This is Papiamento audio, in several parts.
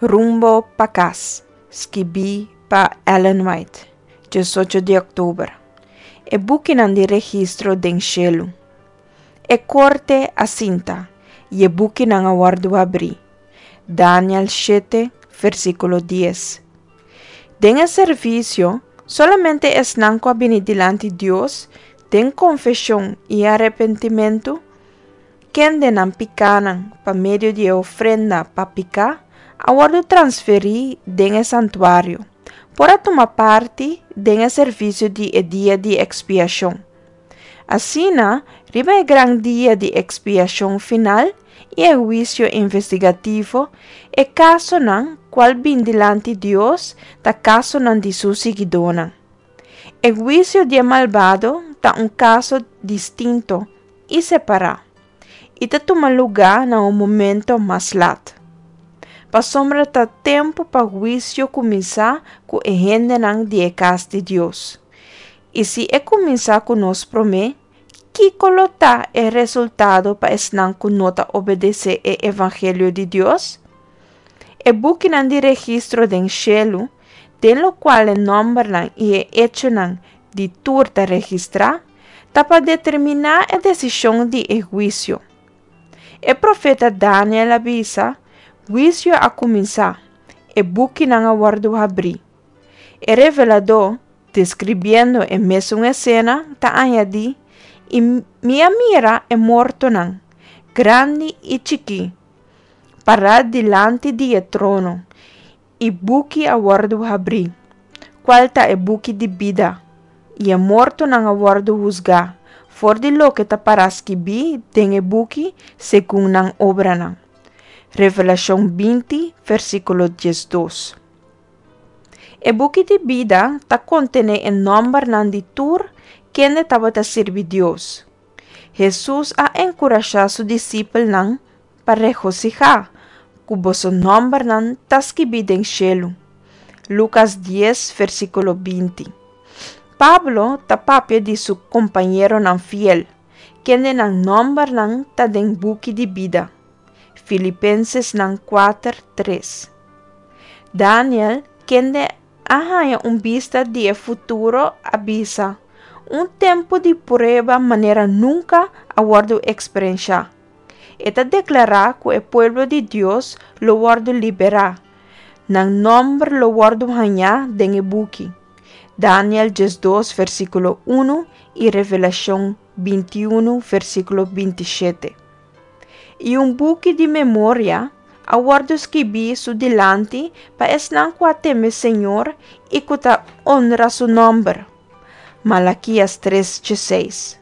Rumbo pa kas, skibí pa Ellen White, 18 di òktober. E bukinan di registro den shelu. E korte a sinta, i e bukinan a wòrdu habrí. Daniel shete, versíkulo dies. Den e servisio, solamente esnan ku a bini dilanti Dios den konfeshon i arepentimentu, kende nan pikánan pa medio di e ofrenda pa piká a wòrdu transferí den e santuario, por a tuma parti den e servisio di e Dia di Ekspiashon. Asina, riba e gran dia di ekspiashon final i e huisio investigativo, e kasonan kual bin dilanti Dios ta kasonan di su siguidónan. E huisio di e malbado ta un kaso distinto i separá, i ta tuma lugá na un momento mas lat. Pasobra ta tempu pa huisio kuminsá ku e hendenan di e kas di Dios. I si e kuminsá ku nos promé, kiko lo ta e resultado pa esnan ku no ta obedesé e evangelio di Dios? E bukinan di registro den shelu, den lokual e nòmbernan i e echonan di tur ta registrá, ta pa determiná e desishon di e huisio. E profeta Daniel a bisa, Huisio a kuminsá, e bukinan a wòrdu habrí. E reveladó, deskribiendo e mesun esena, ta añadí, I mi a mira e mortonan, grandi i chikí, pará dilanti di e trono, i buki a wòrdu habrí, kual ta e buki di bida, i e mortonan a wòrdu husgá for di loke ta pará skibí den e buki segun nan obranan. Revelashon 20, versíkulo 12. E buki di bida ta kontené e nòmbernan di tur kende tabata sirbi Dios. Hesus a enkurashá su disipelnan pa regosihá ku boso nòmbernan ta skibí den shelu. Lukas dies, versíkulo 20. Pablo ta papia di su kompañeronan fiel, kende nan nòmbernan ta den buki di bida. Filipensesnan kuater, tres. Daniel, kende a haña un bista di e futuro, a bisa, Un tempu di prueba manera nunka a wòrdu eksperenshá. E ta deklará ku e pueblo di Dios lo wòrdu liberá, nan nòmber lo wòrdu hañá den e buki. Daniel 12 versíkulo 1 i Revelashon 21 versíkulo 27. I un buki di memoria a wòrdu skibí su dilanti pa esnan ku a teme Señor i ku ta onra su nòmber. Malakias 3, 16.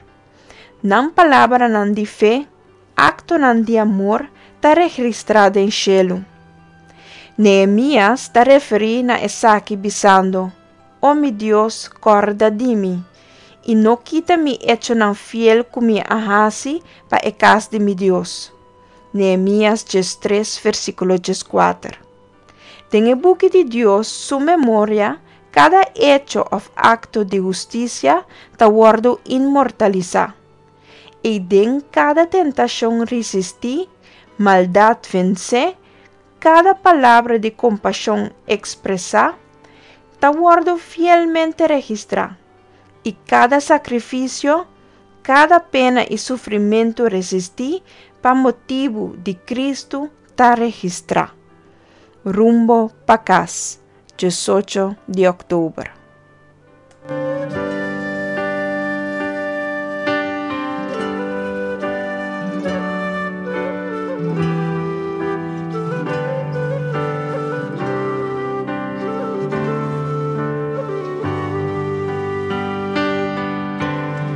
Nan palabranan di fe, aktonan di amor ta registrá den shelu. Nehemias ta referí na esaki bisando, O mi Dios, kòrda di mi, i no kita mi echonan fiel ku mi a hasi pa e kas di mi Dios. Nehemias 13, versíkulo 14. Den e buki di Dios su memoria, kada echo òf akto di hustisia ta wòrdu inmortalisá. I den kada tentashon risistí, maldat vensé, kada palabra di kompashon ekspresá, ta wòrdu fielmente registrá, i kada sakrifisio, kada pena i sufrimentu resistí pa motibu di Kristu ta registrá. Rumbo pa kas, 18 di òktober.